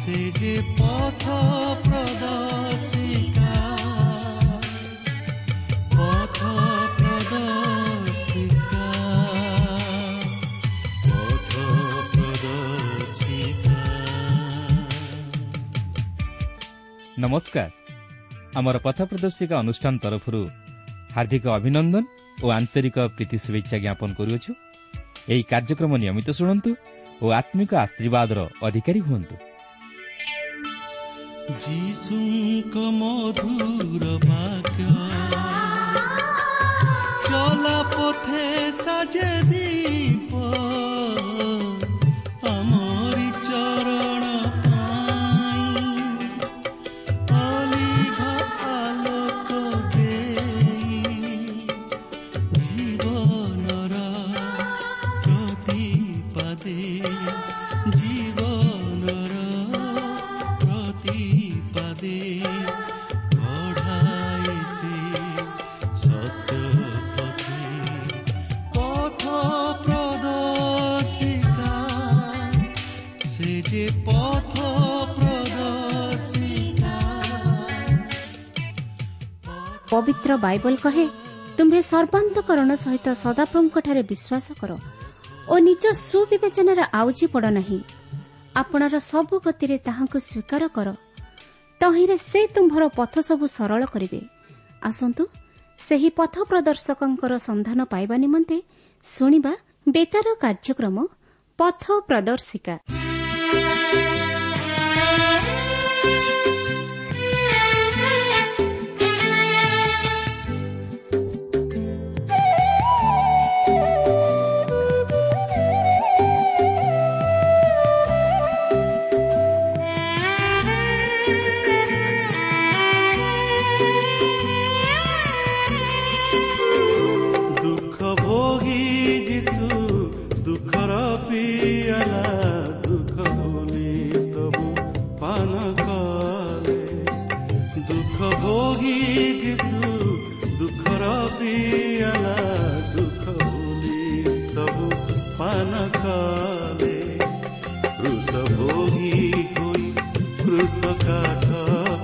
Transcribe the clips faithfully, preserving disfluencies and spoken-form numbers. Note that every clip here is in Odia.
ସେ ଯେ ପଥ ପ୍ରଦର୍ଶିକା, ପଥ ପ୍ରଦର୍ଶିକା, ପଥ ପ୍ରଦର୍ଶିକା। ନମସ୍କାର। ଆମର ପଥ ପ୍ରଦର୍ଶିକା ଅନୁଷ୍ଠାନ ତରଫରୁ ହାର୍ଦ୍ଦିକ ଅଭିନନ୍ଦନ ଓ ଆନ୍ତରିକ ପ୍ରୀତି ଶୁଭେଚ୍ଛା ଜ୍ଞାପନ କରୁଅଛୁ। ଏହି କାର୍ଯ୍ୟକ୍ରମ ନିୟମିତ ଶୁଣନ୍ତୁ ଓ ଆତ୍ମିକ ଆଶୀର୍ବାଦର ଅଧିକାରୀ ହୁଅନ୍ତୁ। ଯୀଶୁଙ୍କ ମଧୁର ବାକ୍ୟ ଚଲା ପଥେ ସାଜେ ଦୀପ, ଆମରି ଚରଣ ପାଇଁ ଅଲିଭ ଆଲୋକ ଦେଇ, ଜୀବନର ପ୍ରତିପାଦେ, ଜୀବନର ପ୍ରତିପାଦେ କଢ଼ାଏ ସେ ସତ୍ୟ ପଥେ। ପଥ ପ୍ରଦର୍ଶିକା, ସେ ଯେ ପଥ ପ୍ରଦର୍ଶିକା। ପବିତ୍ର ବାଇବଲ କହେ, ତୁମ୍ଭେ ସର୍ବାନ୍ତକରଣ ସହିତ ସଦାପ୍ରଭୁଙ୍କଠାରେ ବିଶ୍ୱାସ କର ଓ ନିଜ ସୁବିବେଚନାରେ ଆଉଜି ପଡ଼ ନାହିଁ। ଆପଣାର ସବୁ ଗତିରେ ତାହାଙ୍କୁ ସ୍ୱୀକାର କର, ତହିଁରେ ସେ ତୁମ୍ଭର ପଥ ସବୁ ସରଳ କରିବେ। ଆସନ୍ତୁ ସେହି ପଥ ପ୍ରଦର୍ଶକଙ୍କର ସନ୍ଧାନ ପାଇବା ନିମନ୍ତେ ଶୁଣିବା ବେତାର କାର୍ଯ୍ୟକ୍ରମ ପଥ ପ୍ରଦର୍ଶିକା। ଦୁଃଖ ଭୋଗୀ ଯୀଶୁ ଦୁଃଖର ପିଆଲା ଦୁଃଖ ଭୁଲି ସବୁ ପାନ କଲେ। ଦୁଃଖ ଭୋଗୀ ଯୀଶୁ ଦୁଃଖର ପିଆଲା ଦୁଃଖ ଭୁଲି ସବୁ ପାନ କଲେ। କ୍ରୁଶ ଭୋଗୀ ହୋଇ କ୍ରୁଶ କାଠ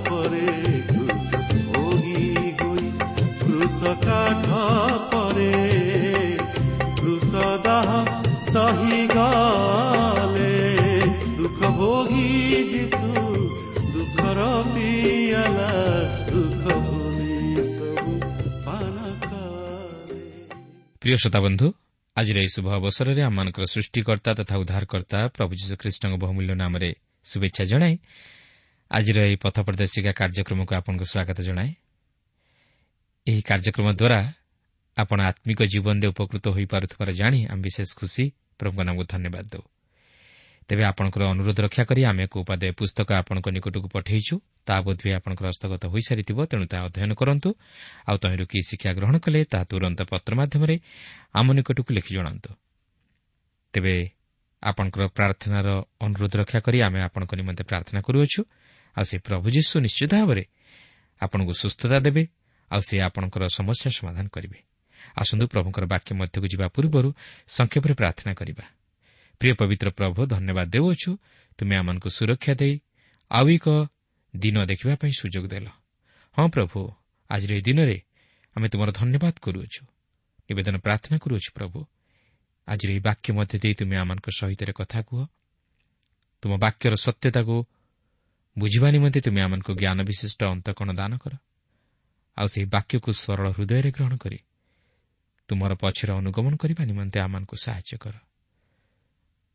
ପରେ, କ୍ରୁଶ ଭୋଗୀ ହୋଇ କ୍ରୁଶ କାଠ ପରେ, କ୍ରୁଶ ଦାହ ସହି ଗଲେ। ଦୁଃଖ ଭୋଗୀ ଯୀଶୁ ଦୁଃଖର ପିଆଲା ଦୁଃଖ ଭୁଲି ସବୁ ପାନ କଲେ। ପ୍ରିୟ ଶ୍ରୋତାବନ୍ଧୁ, ଆଜିର ଏହି ଶୁଭ ଅବସରରେ ଆମମାନଙ୍କର ସୃଷ୍ଟିକର୍ତ୍ତା ତଥା ଉଦ୍ଧାରକର୍ତ୍ତା ପ୍ରଭୁ ଯୀଶୁଖ୍ରୀଷ୍ଟଙ୍କ ବହୁମୂଲ୍ୟ ନାମରେ ଶୁଭେଚ୍ଛା ଜଣାଇ ଆଜିର ଏହି ପଥ ପ୍ରଦର୍ଶିକା କାର୍ଯ୍ୟକ୍ରମକୁ ଆପଣଙ୍କୁ ସ୍ୱାଗତ ଜଣାଏ। ଏହି କାର୍ଯ୍ୟକ୍ରମ ଦ୍ୱାରା ଆପଣ ଆତ୍ମିକ ଜୀବନରେ ଉପକୃତ ହୋଇପାରୁଥିବାର ଜାଣି ଆମେ ବିଶେଷ ଖୁସି। ପ୍ରଭୁଙ୍କ ନାମକୁ ଧନ୍ୟବାଦ ଦେଉ। ତେବେ ଆପଣଙ୍କର ଅନୁରୋଧ ରକ୍ଷା କରି ଆମେ ଏକ ଉପାଦେୟ ପୁସ୍ତକ ଆପଣଙ୍କ ନିକଟକୁ ପଠାଇଛୁ। ତାହା ବୋଧହୁଏ ଆପଣଙ୍କର ହସ୍ତଗତ ହୋଇସାରିଥିବ, ତେଣୁ ତାହା ଅଧ୍ୟୟନ କରନ୍ତୁ। ଆଉ ତହିଁରୁ କି ଶିକ୍ଷା ଗ୍ରହଣ କଲେ ତାହା ତୁରନ୍ତ ପତ୍ର ମାଧ୍ୟମରେ ଆମ ନିକଟକୁ ଲେଖି ଜଣାନ୍ତୁ। ତେବେ ଆପଣଙ୍କର ପ୍ରାର୍ଥନାର ଅନୁରୋଧ ରକ୍ଷା କରି ଆମେ ଆପଣଙ୍କ ନିମନ୍ତେ ପ୍ରାର୍ଥନା କରୁଅଛୁ। ଆଉ ସେ ପ୍ରଭୁ ଯୀଶୁ ନିଶ୍ଚିତ ଭାବରେ ଆପଣଙ୍କୁ ସୁସ୍ଥତା ଦେବେ, ଆଉ ସେ ଆପଣଙ୍କର ସମସ୍ୟା ସମାଧାନ କରିବେ। ଆସନ୍ତୁ ପ୍ରଭୁଙ୍କର ବାକ୍ୟ ମଧ୍ୟକୁ ଯିବା ପୂର୍ବରୁ ସଂକ୍ଷେପରେ ପ୍ରାର୍ଥନା କରିବା। ପ୍ରିୟ ପବିତ୍ର ପ୍ରଭୁ, ଧନ୍ୟବାଦ ଦେଉଅଛୁ, ତୁମେ ଆମମାନଙ୍କୁ ସୁରକ୍ଷା ଦେଇ ଆଉ ଏକ ଦିନ ଦେଖିବା ପାଇଁ ସୁଯୋଗ ଦେଲ। ହଁ ପ୍ରଭୁ, ଆଜିର ଏହି ଦିନରେ ଆମେ ତୁମର ଧନ୍ୟବାଦ କରୁଅଛୁ, ନିବେଦନ ପ୍ରାର୍ଥନା କରୁଅଛୁ। ପ୍ରଭୁ, ଆଜିର ଏହି ବାକ୍ୟ ମଧ୍ୟ ଦେଇ ତୁମେ ଆମମାନଙ୍କ ସହିତ କଥା କୁହ। ତୁମ ବାକ୍ୟର ସତ୍ୟତାକୁ ବୁଝିବା ନିମନ୍ତେ ତୁମେ ଆମମାନଙ୍କୁ ଜ୍ଞାନ ବିଶିଷ୍ଟ ଅନ୍ତଃକରଣ ଦାନ କର। ଆଉ ସେହି ବାକ୍ୟକୁ ସରଳ ହୃଦୟରେ ଗ୍ରହଣ କରି ତୁମର ପଛରେ ଅନୁଗମନ କରିବା ନିମନ୍ତେ ଆମମାନଙ୍କୁ ସାହାଯ୍ୟ କର।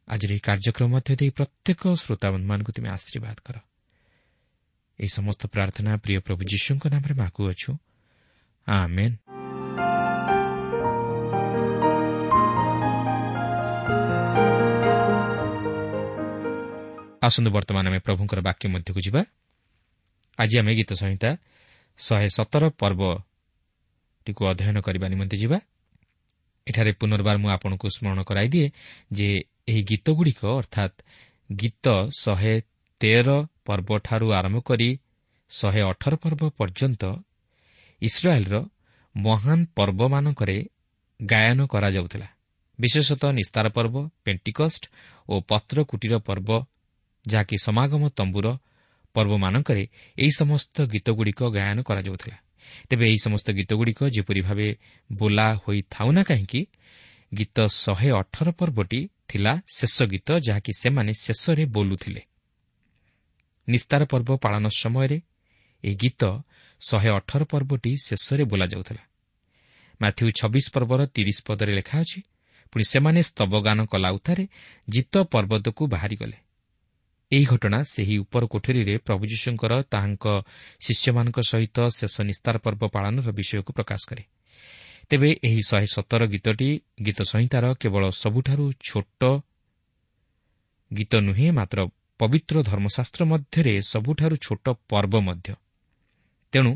ଆଜିର ଏହି କାର୍ଯ୍ୟକ୍ରମ ମଧ୍ୟ ଦେଇ ପ୍ରତ୍ୟେକ ଶ୍ରୋତାବନ୍ଧୁମାନଙ୍କୁ ତୁମେ ଆଶୀର୍ବାଦ କର। ଏହି ସମସ୍ତ ପ୍ରାର୍ଥନା ପ୍ରିୟ ପ୍ରଭୁ ଯୀଶୁଙ୍କ ନାମରେ ମାଗୁଅଛୁ, ଆମେନ୍। ଆସନ୍ତୁ ବର୍ତ୍ତମାନ ଆମେ ପ୍ରଭୁଙ୍କର ବାକ୍ୟ ମଧ୍ୟକୁ ଯିବା। ଆଜି ଆମେ ଗୀତ ସଂହିତା ଶହେ ସତର ପର୍ବଟିକୁ ଅଧ୍ୟୟନ କରିବା ନିମନ୍ତେ ଯିବା। ଏଠାରେ ପୁନର୍ବାର ମୁଁ ଆପଣଙ୍କୁ ସ୍ମରଣ କରାଇଦିଏ ଯେ ଏହି ଗୀତଗୁଡ଼ିକ ଅର୍ଥାତ୍ ଗୀତ ଶହେ ତେର ପର୍ବଠାରୁ ଆରମ୍ଭ କରି ଶହେ ଅଠର ପର୍ବ ପର୍ଯ୍ୟନ୍ତ ଇସ୍ରାଏଲ୍ର ମହାନ ପର୍ବମାନଙ୍କରେ ଗାୟନ କରାଯାଉଥିଲା। ବିଶେଷତଃ ନିସ୍ତାର ପର୍ବ, ପେଣ୍ଟିକଷ୍ଟ ଓ ପତ୍ରକୁଟୀର ପର୍ବ ଯାହାକି ସମାଗମ ତମ୍ବୁର ପର୍ବମାନଙ୍କରେ ଏହି ସମସ୍ତ ଗୀତଗୁଡ଼ିକ ଗାୟନ କରାଯାଉଥିଲା। ତେବେ ଏହି ସମସ୍ତ ଗୀତଗୁଡ଼ିକ ଯେପରି ଭାବେ ବୋଲା ହୋଇଥାଉ ନା କାହିଁକି, ଗୀତ ଶହେ ଅଠର ପର୍ବଟି ଥିଲା ଶେଷ ଗୀତ, ଯାହାକି ସେମାନେ ଶେଷରେ ବୋଲୁଥିଲେ। ନିସ୍ତାର ପର୍ବ ପାଳନ ସମୟରେ ଏହି ଗୀତ ଶହେ ଅଠର ପର୍ବଟି ଶେଷରେ ବୋଲାଯାଉଥିଲା। ମାଥ୍ୟୁ ଛବିଶ ପର୍ବର ତିରିଶ ପଦରେ ଲେଖା ଅଛି, ପୁଣି ସେମାନେ ସ୍ତବଗାନ କଲା ଉତ୍ତାରେ ଜିତ ପର୍ବତକୁ ବାହାରିଗଲେ। ଏହି ଘଟଣା ସେହି ଉପର କୋଠରୀରେ ପ୍ରଭୁ ଯୀଶୁଙ୍କର ତାହାଙ୍କ ଶିଷ୍ୟମାନଙ୍କ ସହିତ ଶେଷ ନିସ୍ତାର ପର୍ବ ପାଳନର ବିଷୟକୁ ପ୍ରକାଶ କରେ। ତେବେ ଏହି ଶହେ ସତର ଗୀତଟି ଗୀତ ସଂହିତାର କେବଳ ସବୁଠାରୁ ଛୋଟ ଗୀତ ନୁହେଁ, ମାତ୍ର ପବିତ୍ର ଧର୍ମଶାସ୍ତ୍ର ମଧ୍ୟରେ ସବୁଠାରୁ ଛୋଟ ପର୍ବ ମଧ୍ୟ। ତେଣୁ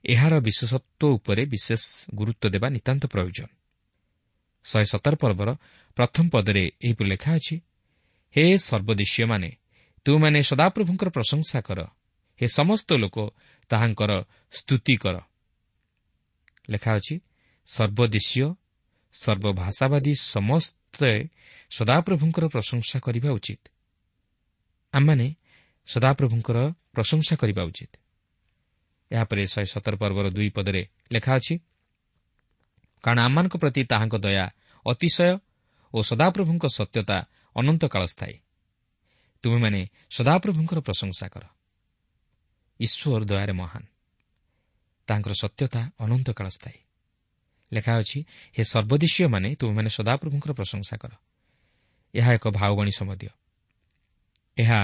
ଏହାର ବିଶେଷତ୍ୱ ଉପରେ ବିଶେଷ ଗୁରୁତ୍ୱ ଦେବା ନିତାନ୍ତ ପ୍ରୟୋଜନ। ଶହେ ସତର ପର୍ବର ପ୍ରଥମ ପଦରେ ଏହିପରି ଲେଖା ଅଛି, ହେ ସର୍ବଦେଶୀୟମାନେ, ତୁମେମାନେ ସଦାପ୍ରଭୁଙ୍କର ପ୍ରଶଂସା କର, ହେ ସମସ୍ତ ଲୋକ ତାହାଙ୍କର ସ୍ତୁତି କର। ଲେଖା ଅଛି, ସର୍ବଦେଶୀୟ ସର୍ବଭାଷାବାଦୀ ସମସ୍ତେ ସଦାପ୍ରଭୁଙ୍କର ପ୍ରଶଂସା କରିବା ଉଚିତ। ଆମମାନେ ସଦାପ୍ରଭୁଙ୍କର ପ୍ରଶଂସା କରିବା ଉଚିତ। ଏହାପରେ ଶହେ ସତର ପର୍ବର ଦୁଇ ପଦରେ ଲେଖା ଅଛି, କାରଣ ଆମମାନଙ୍କ ପ୍ରତି ତାହାଙ୍କ ଦୟା ଅତିଶୟ ଓ ସଦାପ୍ରଭୁଙ୍କ ସତ୍ୟତା ଅନନ୍ତକାଳ ସ୍ଥାୟୀ। ତୁମେମାନେ ସଦାପ୍ରଭୁଙ୍କର ପ୍ରଶଂସା କର। ଈଶ୍ୱର ଦୟାରେ ମହାନ, ତାଙ୍କର ସତ୍ୟତା ଅନନ୍ତକାଳ ସ୍ଥାୟୀ। ଲେଖା ଅଛି, ହେ ସର୍ବଦେଶୀୟମାନେ, ତୁମେମାନେ ସଦାପ୍ରଭୁଙ୍କର ପ୍ରଶଂସା କର। ଏହା ଏକ ଭାବବାଣୀ ସମ୍ବନ୍ଧୀୟ। ଏହା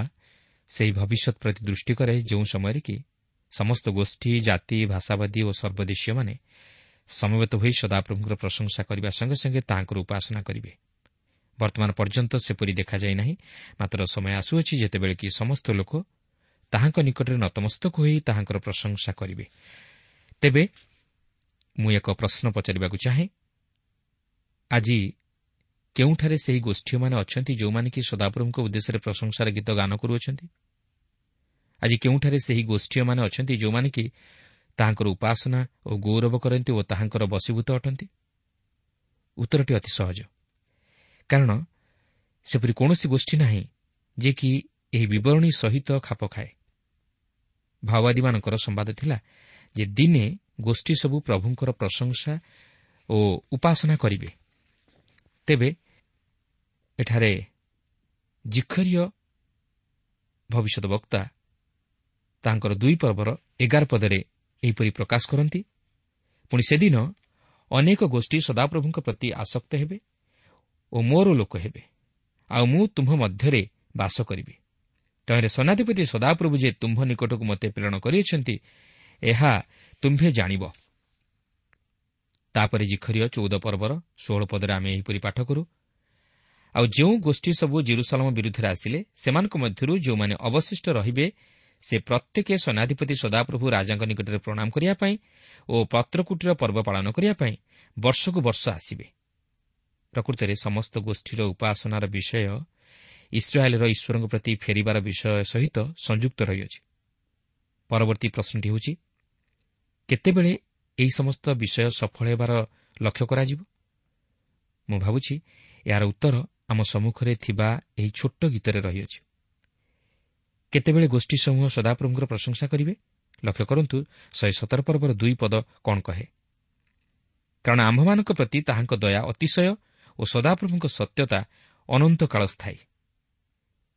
ସେହି ଭବିଷ୍ୟତ ପ୍ରତି ଦୃଷ୍ଟି କରେ ଯେଉଁ ସମୟରେ କି ସମସ୍ତ ଗୋଷ୍ଠୀ, ଜାତି, ଭାଷାବାଦୀ ଓ ସର୍ବଦେଶୀୟମାନେ ସମବେତ ହୋଇ ସଦାପ୍ରଭୁଙ୍କର ପ୍ରଶଂସା କରିବା ସଙ୍ଗେ ସଙ୍ଗେ ତାହାଙ୍କର ଉପାସନା କରିବେ। ବର୍ତ୍ତମାନ ପର୍ଯ୍ୟନ୍ତ ସେପରି ଦେଖାଯାଇ ନାହିଁ, ମାତ୍ର ସମୟ ଆସୁଅଛି ଯେତେବେଳେ କି ସମସ୍ତ ଲୋକ ତାହାଙ୍କ ନିକଟରେ ନତମସ୍ତକ ହୋଇ ତାହାଙ୍କର ପ୍ରଶଂସା କରିବେ। ତେବେ ମୁଁ ଏକ ପ୍ରଶ୍ନ ପଚାରିବାକୁ ଚାହେଁ, ଆଜି କେଉଁଠାରେ ସେହି ଗୋଷ୍ଠୀମାନେ ଅଛନ୍ତି ଯେଉଁମାନେ କି ସଦାପ୍ରଭୁଙ୍କ ଉଦ୍ଦେଶ୍ୟରେ ପ୍ରଶଂସାର ଗୀତ ଗାନ କରୁଅଛନ୍ତି? ଆଜି କେଉଁଠାରେ ସେହି ଗୋଷ୍ଠୀୟମାନେ ଅଛନ୍ତି ଯେଉଁମାନେ କି ତାହାଙ୍କର ଉପାସନା ଓ ଗୌରବ କରନ୍ତି ଓ ତାହାଙ୍କର ବଶୀଭୂତ ଅଟନ୍ତି? ଉତ୍ତରଟି ଅତି ସହଜ, କାରଣ ସେପରି କୌଣସି ଗୋଷ୍ଠୀ ନାହିଁ ଯେ କି ଏହି ବିବରଣୀ ସହିତ ଖାପ ଖାଏ। ଭାଓବାଦୀମାନଙ୍କର ସମ୍ବାଦ ଥିଲା ଯେ ଦିନେ ଗୋଷ୍ଠୀ ସବୁ ପ୍ରଭୁଙ୍କର ପ୍ରଶଂସା ଓ ଉପାସନା କରିବେ। ତେବେ ଏଠାରେ ଜିଖରୀୟ ଭବିଷ୍ୟତ ବକ୍ତା ତାଙ୍କର ଦୁଇ ପର୍ବର ଏଗାର ପଦରେ ଏହିପରି ପ୍ରକାଶ କରନ୍ତି, ପୁଣି ସେଦିନ ଅନେକ ଗୋଷ୍ଠୀ ସଦାପ୍ରଭୁଙ୍କ ପ୍ରତି ଆସକ୍ତ ହେବେ ଓ ମୋର ଲୋକ ହେବେ, ଆଉ ମୁଁ ତୁମ୍ଭ ମଧ୍ୟରେ ବାସ କରିବି। ତହିଁରେ ସେନାଧିପତି ସଦାପ୍ରଭୁ ଯେ ତୁମ୍ଭ ନିକଟକୁ ମୋତେ ପ୍ରେରଣ କରିଅଛନ୍ତି, ଏହା ତୁମ୍ଭେ ଜାଣିବ। ତାପରେ ଜିଖରୀୟ ଚଉଦ ପର୍ବର ଷୋହଳ ପଦରେ ଆମେ ଏହିପରି ପାଠ କରୁ, ଆଉ ଯେଉଁ ଗୋଷ୍ଠୀ ସବୁ ଜିରୁସାଲମ ବିରୁଦ୍ଧରେ ଆସିଲେ, ସେମାନଙ୍କ ମଧ୍ୟରୁ ଯେଉଁମାନେ ଅବଶିଷ୍ଟ ରହିବେ, ସେ ପ୍ରତ୍ୟେକ ସେନାଧିପତି ସଦାପ୍ରଭୁ ରାଜାଙ୍କ ନିକଟରେ ପ୍ରଣାମ କରିବା ପାଇଁ ଓ ପତ୍ରକୁଟୀର ପର୍ବ ପାଳନ କରିବା ପାଇଁ ବର୍ଷକୁ ବର୍ଷ ଆସିବେ। ପ୍ରକୃତରେ ସମସ୍ତ ଗୋଷ୍ଠୀର ଉପାସନାର ବିଷୟ ଇସ୍ରାଏଲର ଈଶ୍ୱରଙ୍କ ପ୍ରତି ଫେରିବାର ବିଷୟ ସହିତ ସଂଯୁକ୍ତ ରହିଅଛି। ପରବର୍ତ୍ତୀ ପ୍ରଶ୍ନଟି ହେଉଛି, କେତେବେଳେ ଏହି ସମସ୍ତ ବିଷୟ ସଫଳ ହେବାର ଲକ୍ଷ୍ୟ କରାଯିବ? ମୁଁ ଭାବୁଛି ଏହାର ଉତ୍ତର ଆମ ସମ୍ମୁଖରେ ଥିବା ଏହି ଛୋଟ ଗୀତରେ ରହିଅଛି। କେତେବେଳେ ଗୋଷ୍ଠୀ ସମୂହ ସଦାପ୍ରଭୁଙ୍କର ପ୍ରଶଂସା କରିବେ? ଲକ୍ଷ୍ୟ କରନ୍ତୁ ଶହେ ସତର ପର୍ବର ଦୁଇ ପଦ କ'ଣ କହେ, କାରଣ ଆମ୍ଭମାନଙ୍କ ପ୍ରତି ତାହାଙ୍କ ଦୟା ଅତିଶୟ ଓ ସଦାପ୍ରଭୁଙ୍କ ସତ୍ୟତା ଅନନ୍ତକାଳ ସ୍ଥାୟୀ।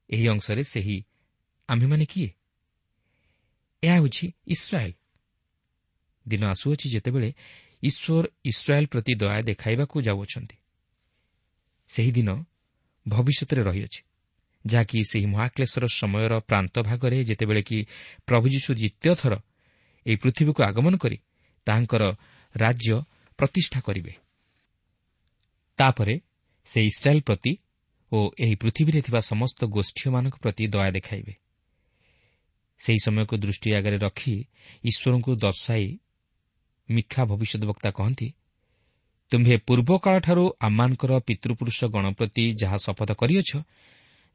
ଏହି ଅଂଶରେ ସେହି ଆମ୍ଭେମାନେ କିଏ? ଏହା ହେଉଛି ଇସ୍ରାଏଲ। ଦିନ ଆସୁଅଛି ଯେତେବେଳେ ଈଶ୍ୱର ଇସ୍ରାଏଲ ପ୍ରତି ଦୟା ଦେଖାଇବାକୁ ଯାଉଅଛନ୍ତି। ସେହିଦିନ ଭବିଷ୍ୟତରେ ରହିଅଛି, ଯାହାକି ସେହି ମହାକ୍ଲେଶର ସମୟର ପ୍ରାନ୍ତ ଭାଗରେ ଯେତେବେଳେ କି ପ୍ରଭୁ ଯୀଶୁ ଦ୍ୱିତୀୟ ଥର ଏହି ପୃଥିବୀକୁ ଆଗମନ କରି ତାହାଙ୍କର ରାଜ୍ୟ ପ୍ରତିଷ୍ଠା କରିବେ। ତାପରେ ସେ ଇସ୍ରାଏଲ ପ୍ରତି ଓ ଏହି ପୃଥିବୀରେ ଥିବା ସମସ୍ତ ଗୋଷ୍ଠୀମାନଙ୍କ ପ୍ରତି ଦୟା ଦେଖାଇବେ। ସେହି ସମୟକୁ ଦୃଷ୍ଟି ଆଗରେ ରଖି ଈଶ୍ୱରଙ୍କୁ ଦର୍ଶାଇ ମିଖା ଭବିଷ୍ୟଦ୍ବକ୍ତା କହନ୍ତି, ତୁମ୍ଭେ ପୂର୍ବକାଳଠାରୁ ଆମମାନଙ୍କର ପିତୃପୁରୁଷ ଗଣ ପ୍ରତି ଯାହା ଶପଥ କରିଅଛ,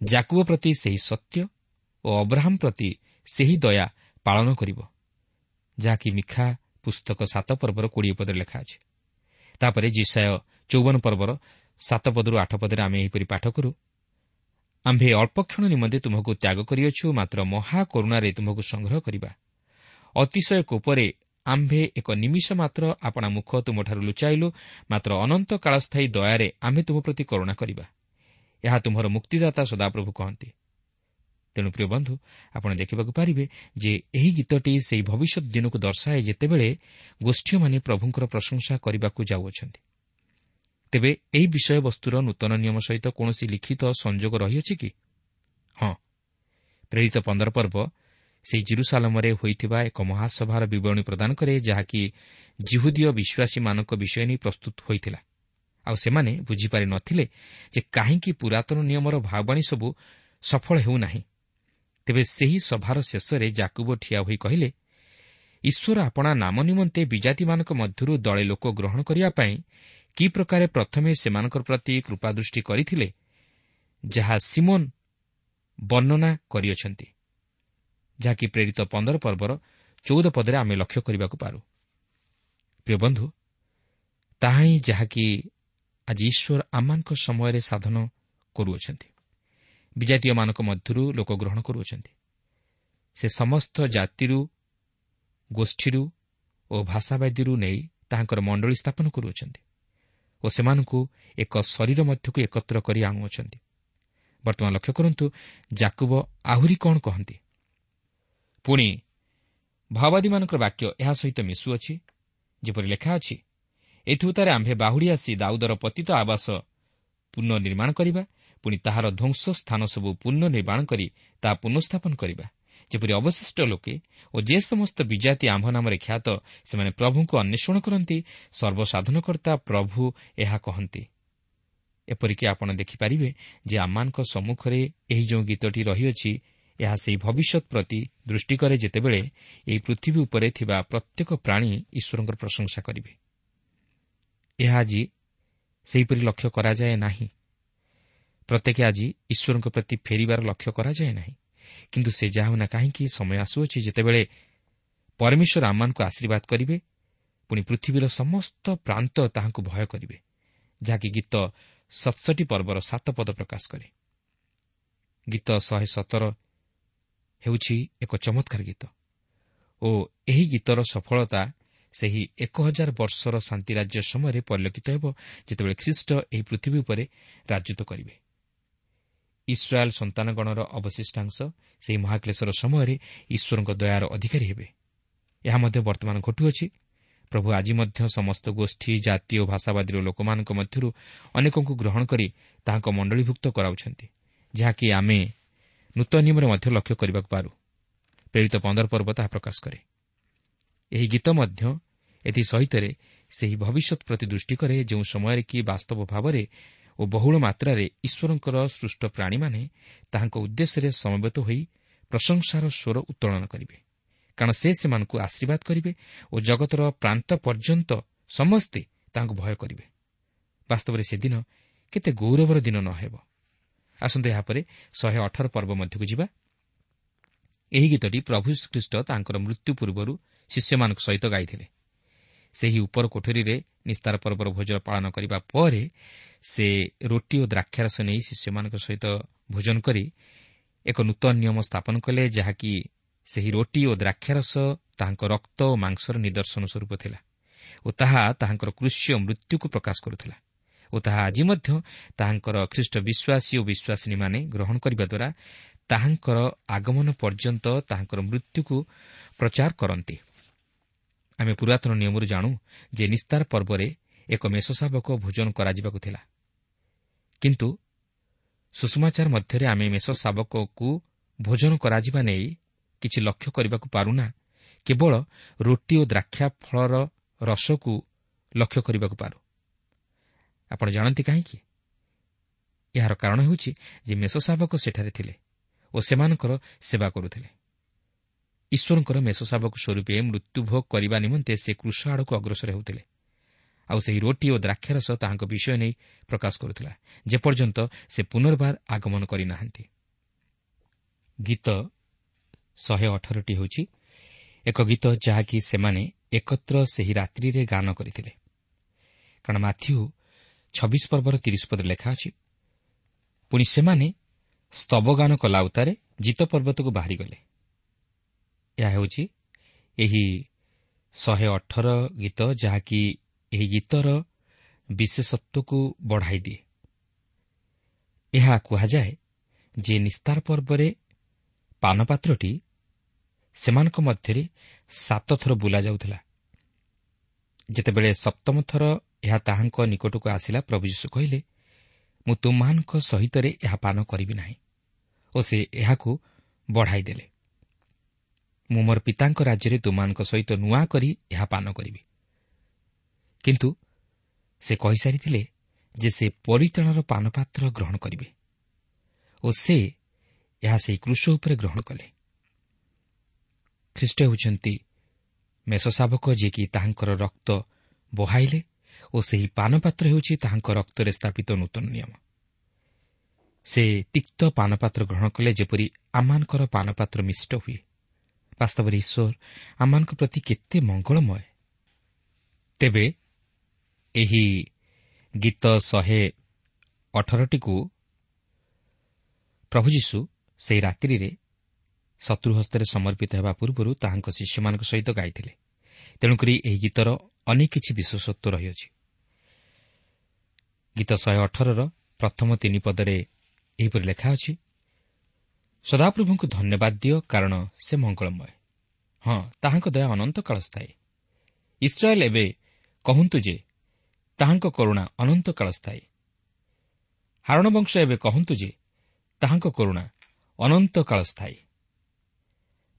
ଯାକୁବ ପ୍ରତି ସେହି ସତ୍ୟ ଓ ଅବ୍ରାହମ ପ୍ରତି ସେହି ଦୟା ପାଳନ କରିବ, ଯାହାକି ମିଖା ପୁସ୍ତକ ସାତ ପର୍ବର କୋଡ଼ିଏ ପଦରେ ଲେଖା ଅଛି। ତାପରେ ଯିଶାଇୟ ଚଉବନ ପର୍ବର ସାତ ପଦରୁ ଆଠ ପଦରେ ଆମେ ଏହିପରି ପାଠ କରୁ, ଆମ୍ଭେ ଅଳ୍ପକ୍ଷଣ ନିମନ୍ତେ ତୁମକୁ ତ୍ୟାଗ କରିଅଛୁ, ମାତ୍ର ମହାକରୁଣାରେ ତୁମକୁ ସଂଗ୍ରହ କରିବା। ଅତିଶୟ କୋପରେ ଆମ୍ଭେ ଏକ ନିମିଷ ମାତ୍ର ଆପଣା ମୁଖ ତୁମଠାରୁ ଲୁଚାଇଲୁ, ମାତ୍ର ଅନନ୍ତ କାଳସ୍ଥାୟୀ ଦୟାରେ ଆମ୍ଭେ ତୁମ ପ୍ରତି କରୁଣା କରିବା। ଏହା ତୁମର ମୁକ୍ତିଦାତା ସଦାପ୍ରଭୁ କହନ୍ତି। ତେଣୁ ପ୍ରିୟ ବନ୍ଧୁ, ଆପଣ ଦେଖିବାକୁ ପାରିବେ ଯେ ଏହି ଗୀତଟି ସେହି ଭବିଷ୍ୟତ ଦିନକୁ ଦର୍ଶାଏ ଯେତେବେଳେ ଗୋଷ୍ଠୀୟମାନେ ପ୍ରଭୁଙ୍କର ପ୍ରଶଂସା କରିବାକୁ ଯାଉଅଛନ୍ତି। ତେବେ ଏହି ବିଷୟବସ୍ତୁର ନୂତନ ନିୟମ ସହିତ କୌଣସି ଲିଖିତ ସଂଯୋଗ ରହିଅଛି କି? ହଁ, ପ୍ରେରିତ ପନ୍ଦର ପର୍ବ ସେହି ଜିରୁସାଲମରେ ହୋଇଥିବା ଏକ ମହାସଭାର ବିବରଣୀ ପ୍ରଦାନ କରେ, ଯାହାକି ଜିହୁଦୀୟ ବିଶ୍ୱାସୀମାନଙ୍କ ବିଷୟ ନେଇ ପ୍ରସ୍ତୁତ ହୋଇଥିଲା। ଆଉ ସେମାନେ ବୁଝିପାରି ନଥିଲେ ଯେ କାହିଁକି ପୁରାତନ ନିୟମର ଭାବବାଣୀ ସବୁ ସଫଳ ହେଉନାହିଁ। ତେବେ ସେହି ସଭାର ଶେଷରେ ଜାକୁବ ଠିଆ ହୋଇ କହିଲେ, ଈଶ୍ୱର ଆପଣା ନାମ ନିମନ୍ତେ ବିଜାତିମାନଙ୍କ ମଧ୍ୟରୁ ଦଳେ ଲୋକ ଗ୍ରହଣ କରିବା ପାଇଁ କି ପ୍ରକାରେ ପ୍ରଥମେ ସେମାନଙ୍କ ପ୍ରତି କୃପାଦୃଷ୍ଟି କରିଥିଲେ, ଯାହା ସିମୋନ ବର୍ଣ୍ଣନା କରିଅଛନ୍ତି, ଯାହାକି ପ୍ରେରିତ ପନ୍ଦର ପର୍ବର ଚଉଦ ପଦରେ ଆମେ ଲକ୍ଷ୍ୟ କରିବାକୁ ପାରୁ। ପ୍ରିୟ ବନ୍ଧୁ, ତାହା ହିଁ ଯାହାକି ଆଜି ଈଶ୍ୱର ଆମମାନଙ୍କ ସମୟରେ ସାଧନ କରୁଅଛନ୍ତି। ବିଜାତୀୟମାନଙ୍କ ମଧ୍ୟରୁ ଲୋକ ଗ୍ରହଣ କରୁଅଛନ୍ତି। ସେ ସମସ୍ତ ଜାତିରୁ, ଗୋଷ୍ଠୀରୁ ଓ ଭାଷାବାଦୀରୁ ନେଇ ତାହାଙ୍କର ମଣ୍ଡଳୀ ସ୍ଥାପନ କରୁଅଛନ୍ତି ଓ ସେମାନଙ୍କୁ ଏକ ଶରୀର ମଧ୍ୟକୁ ଏକତ୍ର କରି ଆଣୁଅଛନ୍ତି। ବର୍ତ୍ତମାନ ଲକ୍ଷ୍ୟ କରନ୍ତୁ ଜାକୁବ ଆହୁରି କ'ଣ କହନ୍ତି। ପୁଣି ଭାଓବାଦୀମାନଙ୍କର ବାକ୍ୟ ଏହା ସହିତ ମିଶୁଅଛି, ଯେପରି ଲେଖା ଅଛି, ଏଥିଉତ୍ତାରେ ଆମ୍ଭେ ବାହୁଡ଼ି ଆସି ଦାଉଦର ପତିତ ଆବାସ ପୁନଃନିର୍ମାଣ କରିବା, ପୁଣି ତାହାର ଧ୍ୱଂସ ସ୍ଥାନ ସବୁ ପୁନଃନିର୍ମାଣ କରି ତାହା ପୁନଃସ୍ଥାପନ କରିବା, ଯେପରି ଅବଶିଷ୍ଟ ଲୋକେ ଓ ଯେ ସମସ୍ତ ବିଜାତି ଆମ୍ଭ ନାମରେ ଖ୍ୟାତ ସେମାନେ ପ୍ରଭୁଙ୍କୁ ଅନ୍ୱେଷଣ କରନ୍ତି, ସର୍ବସାଧନକର୍ତ୍ତା ପ୍ରଭୁ ଏହା କହନ୍ତି। ଏପରିକି ଆପଣ ଦେଖିପାରିବେ ଯେ ଆମମାନଙ୍କ ସମ୍ମୁଖରେ ଏହି ଯେଉଁ ଗୀତଟି ରହିଅଛି, ଏହା ସେହି ଭବିଷ୍ୟତ ପ୍ରତି ଦୃଷ୍ଟି କରେ ଯେତେବେଳେ ଏହି ପୃଥିବୀ ଉପରେ ଥିବା ପ୍ରତ୍ୟେକ ପ୍ରାଣୀ ଈଶ୍ୱରଙ୍କର ପ୍ରଶଂସା କରିବେ। ଏହା ଆଜି ସେହିପରି ଲକ୍ଷ୍ୟ କରାଯାଏ ନାହିଁ। ପ୍ରତ୍ୟେକ ଆଜି ଈଶ୍ୱରଙ୍କ ପ୍ରତି ଫେରିବାର ଲକ୍ଷ୍ୟ କରାଯାଏ ନାହିଁ। କିନ୍ତୁ ସେ ଯାହା ହେଉନା କାହିଁକି, ସମୟ ଆସୁଅଛି ଯେତେବେଳେ ପରମେଶ୍ୱର ଆମମାନଙ୍କୁ ଆଶୀର୍ବାଦ କରିବେ, ପୁଣି ପୃଥିବୀର ସମସ୍ତ ପ୍ରାନ୍ତ ତାହାଙ୍କୁ ଭୟ କରିବେ, ଯାହାକି ଗୀତ ସତଷଠି ପର୍ବର ସାତ ପଦ ପ୍ରକାଶ କରେ। ଗୀତ ଶହେ ସତର ହେଉଛି ଏକ ଚମତ୍କାର ଗୀତ ଓ ଏହି ଗୀତର ସଫଳତା ସେହି ଏକ ହଜାର ବର୍ଷର ଶାନ୍ତିରାଜ୍ୟ ସମୟରେ ପରିଲକ୍ଷିତ ହେବ, ଯେତେବେଳେ ଖ୍ରୀଷ୍ଟ ଏହି ପୃଥିବୀ ଉପରେ ରାଜତ୍ୱ କରିବେ। ଇସ୍ରାଏଲ୍ ସନ୍ତାନଗଣର ଅବଶିଷ୍ଟାଂଶ ସେହି ମହାକ୍ଲେଶର ସମୟରେ ଈଶ୍ୱରଙ୍କ ଦୟାର ଅଧିକାରୀ ହେବେ। ଏହା ମଧ୍ୟ ବର୍ତ୍ତମାନ ଘଟୁଅଛି। ପ୍ରଭୁ ଆଜି ମଧ୍ୟ ସମସ୍ତ ଗୋଷ୍ଠୀ, ଜାତି ଓ ଭାଷାବାଦୀର ଲୋକମାନଙ୍କ ମଧ୍ୟରୁ ଅନେକଙ୍କୁ ଗ୍ରହଣ କରି ତାହାଙ୍କ ମଣ୍ଡଳୀଭୁକ୍ତ କରାଉଛନ୍ତି, ଯାହାକି ଆମେ ନୂତନ ନିୟମରେ ମଧ୍ୟ ଲକ୍ଷ୍ୟ କରିବାକୁ ପାରୁ। ପ୍ରେରିତ ପନ୍ଦର ପର୍ବ ତାହା ପ୍ରକାଶ କରେ। ଏହି ଗୀତ ମଧ୍ୟ ଏଥିସହିତରେ ସେହି ଭବିଷ୍ୟତ ପ୍ରତି ଦୃଷ୍ଟି କରେ, ଯେଉଁ ସମୟରେ କି ବାସ୍ତବ ଭାବରେ ଓ ବହୁଳ ମାତ୍ରାରେ ଈଶ୍ୱରଙ୍କର ସୃଷ୍ଟ ପ୍ରାଣୀମାନେ ତାହାଙ୍କ ଉଦ୍ଦେଶ୍ୟରେ ସମବେତ ହୋଇ ପ୍ରଶଂସାର ସ୍ୱର ଉତ୍ତୋଳନ କରିବେ, କାରଣ ସେ ସେମାନଙ୍କୁ ଆଶୀର୍ବାଦ କରିବେ ଓ ଜଗତର ପ୍ରାନ୍ତ ପର୍ଯ୍ୟନ୍ତ ସମସ୍ତେ ତାହାଙ୍କୁ ଭୟ କରିବେ। ବାସ୍ତବରେ ସେଦିନ କେତେ ଗୌରବର ଦିନ ନ ହେବ। ଆସନ୍ତୁ ଏହାପରେ ଶହେ ଅଠର ପର୍ବ ମଧ୍ୟକୁ ଯିବା। ଏହି ଗୀତଟି ପ୍ରଭୁ ଖ୍ରୀଷ୍ଟ ତାଙ୍କର ମୃତ୍ୟୁ ପୂର୍ବରୁ ଶିଷ୍ୟମାନଙ୍କ ସହିତ ଗାଇଥିଲେ। ସେହି ଉପର କୋଠରୀରେ ନିସ୍ତାର ପର୍ବର ଭୋଜନ ପାଳନ କରିବା ପରେ ସେ ରୋଟି ଓ ଦ୍ରାକ୍ଷାରସ ନେଇ ଶିଷ୍ୟମାନଙ୍କ ସହିତ ଭୋଜନ କରି ଏକ ନୂତନ ନିୟମ ସ୍ଥାପନ କଲେ, ଯାହାକି ସେହି ରୋଟି ଓ ଦ୍ରାକ୍ଷାରସ ତାହାଙ୍କ ରକ୍ତ ଓ ମାଂସର ନିଦର୍ଶନ ସ୍ୱରୂପ ଥିଲା ଓ ତାହା ତାହାଙ୍କର କୃଷ୍ୟ ମୃତ୍ୟୁକୁ ପ୍ରକାଶ କରୁଥିଲା ଓ ତାହା ଆଜି ମଧ୍ୟ ତାହାଙ୍କର ଖ୍ରୀଷ୍ଟ ବିଶ୍ୱାସୀ ଓ ବିଶ୍ୱାସିନୀମାନେ ଗ୍ରହଣ କରିବା ଦ୍ୱାରା ତାହାଙ୍କର ଆଗମନ ପର୍ଯ୍ୟନ୍ତ ତାହାଙ୍କର ମୃତ୍ୟୁକୁ ପ୍ରଚାର କରନ୍ତି। ଆମେ ପୁରାତନ ନିୟମରୁ ଜାଣୁ ଯେ ନିସ୍ତାର ପର୍ବରେ ଏକ ମେଷଶାବକ ଭୋଜନ କରାଯିବାକୁ ଥିଲା, କିନ୍ତୁ ସୁଷମାଚାର ମଧ୍ୟରେ ଆମେ ମେଷଶାବକକୁ ଭୋଜନ କରାଯିବା ନେଇ କିଛି ଲକ୍ଷ୍ୟ କରିବାକୁ ପାରୁନା, କେବଳ ରୋଟି ଓ ଦ୍ରାକ୍ଷା ଫଳର ରସକୁ ଲକ୍ଷ୍ୟ କରିବାକୁ ପାରୁ। ଆପଣ ଜାଣନ୍ତି କାହିଁକି? ଏହାର କାରଣ ହେଉଛି ଯେ ମେଷଶାବକ ସେଠାରେ ଥିଲେ ଓ ସେମାନଙ୍କର ସେବା କରୁଥିଲେ। ଈଶ୍ୱରଙ୍କର ମେଷଶାବକ ସ୍ୱରୂପେ ମୃତ୍ୟୁଭୋଗ କରିବା ନିମନ୍ତେ ସେ କୃଷ ଆଡ଼କୁ ଅଗ୍ରସର ହେଉଥିଲେ, ଆଉ ସେହି ରୋଟି ଓ ଦ୍ରାକ୍ଷାରସ ତାହାଙ୍କ ବିଷୟ ନେଇ ପ୍ରକାଶ କରୁଥିଲା, ଯେପର୍ଯ୍ୟନ୍ତ ସେ ପୁନର୍ବାର ଆଗମନ କରିନାହାନ୍ତି। ଗୀତ ଶହେ ଅଠରଟି ହେଉଛି ଏକ ଗୀତ ଯାହାକି ସେମାନେ ଏକତ୍ର ସେହି ରାତ୍ରିରେ ଗାନ କରିଥିଲେ, କାରଣ ମାଥ୍ୟୁ ଛବିଶ ପର୍ବର ତିରିଶ ପଦରେ ଲେଖା ଅଛି, ପୁଣି ସେମାନେ ସ୍ତବଗାନ କଲା ଉତ୍ତାରେ ଜିତ ପର୍ବତକୁ ବାହାରିଗଲେ। ଏହା ହେଉଛି ଏହି ଶହେ ଅଠର ଗୀତ, ଯାହାକି ଏହି ଗୀତର ବିଶେଷତ୍ୱକୁ ବଢ଼ାଇ ଦିଏ। ଏହା କୁହାଯାଏ ଯେ ନିସ୍ତାର ପର୍ବରେ ପାନପାତ୍ରଟି ସେମାନଙ୍କ ମଧ୍ୟରେ ସାତ ଥର ବୁଲାଯାଉଥିଲା। ଯେତେବେଳେ ସପ୍ତମ ଥର ଏହା ତାହାଙ୍କ ନିକଟକୁ ଆସିଲା, ପ୍ରଭୁ ଯୀଶୁ କହିଲେ, ମୁଁ ତୁମମାନଙ୍କ ସହିତରେ ଏହା ପାନ କରିବି ନାହିଁ, ଓ ସେ ଏହାକୁ ବଢ଼ାଇ ଦେଲେ। ମୁଁ ମୋର ପିତାଙ୍କ ରାଜ୍ୟରେ ତୁମମାନଙ୍କ ସହିତ ନୂଆ କରି ଏହା ପାନ କରିବି। କିନ୍ତୁ ସେ କହିସାରିଥିଲେ ଯେ ସେ ପରିତ୍ରାଣର ପାନପାତ୍ର ଗ୍ରହଣ କରିବେ, ଓ ସେ ଏହା ସେହି କ୍ରୁଶ ଉପରେ ଗ୍ରହଣ କଲେ। ଖ୍ରୀଷ୍ଟ ହେଉଛନ୍ତି ମେଷଶାବକ, ଯିଏକି ତାହାଙ୍କର ରକ୍ତ ବହାଇଲେ, ଓ ସେହି ପାନପାତ୍ର ହେଉଛି ତାହାଙ୍କ ରକ୍ତରେ ସ୍ଥାପିତ ନୂତନ ନିୟମ। ସେ ତିକ୍ତ ପାନପାତ୍ର ଗ୍ରହଣ କଲେ, ଯେପରି ଆମମାନଙ୍କର ପାନପାତ୍ର ମିଷ୍ଟ ହୁଏ। ବାସ୍ତବରେ ଈଶ୍ୱର ଆମମାନଙ୍କ ପ୍ରତି କେତେ ମଙ୍ଗଳମୟ। ତେବେ ଏହି ଗୀତ ଶହେ ଅଠରଟିକୁ ପ୍ରଭୁ ଯୀଶୁ ସେହି ରାତ୍ରିରେ ଶତ୍ରୁ ହସ୍ତରେ ସମର୍ପିତ ହେବା ପୂର୍ବରୁ ତାହାଙ୍କ ଶିଷ୍ୟମାନଙ୍କ ସହିତ ଗାଇଥିଲେ। ତେଣୁକରି ଏହି ଗୀତର ଅନେକ କିଛି ବିଶେଷତ୍ୱ ରହିଅଛି। ଗୀତ ଶହେ ଅଠରର ପ୍ରଥମ ତିନି ପଦରେ ଏହିପରି ଲେଖା ଅଛି, ସଦାପ୍ରଭୁଙ୍କୁ ଧନ୍ୟବାଦ ଦିଅ, କାରଣ ସେ ମଙ୍ଗଳମୟ। ହଁ, ତାହାଙ୍କ ଦୟା ଅନନ୍ତକାଳ ସ୍ଥାୟୀ। ଇସ୍ରାଏଲ୍ ଏବେ କହନ୍ତୁ ଯେ ତାହାଙ୍କ କରୁଣା ଅନନ୍ତକାଳ ସ୍ଥାୟୀ। ହାରଣ ବଂଶ ଏବେ କହନ୍ତୁ ଯେ ତାହାଙ୍କ କରୁଣା ଅନନ୍ତକାଳ ସ୍ଥାୟୀ।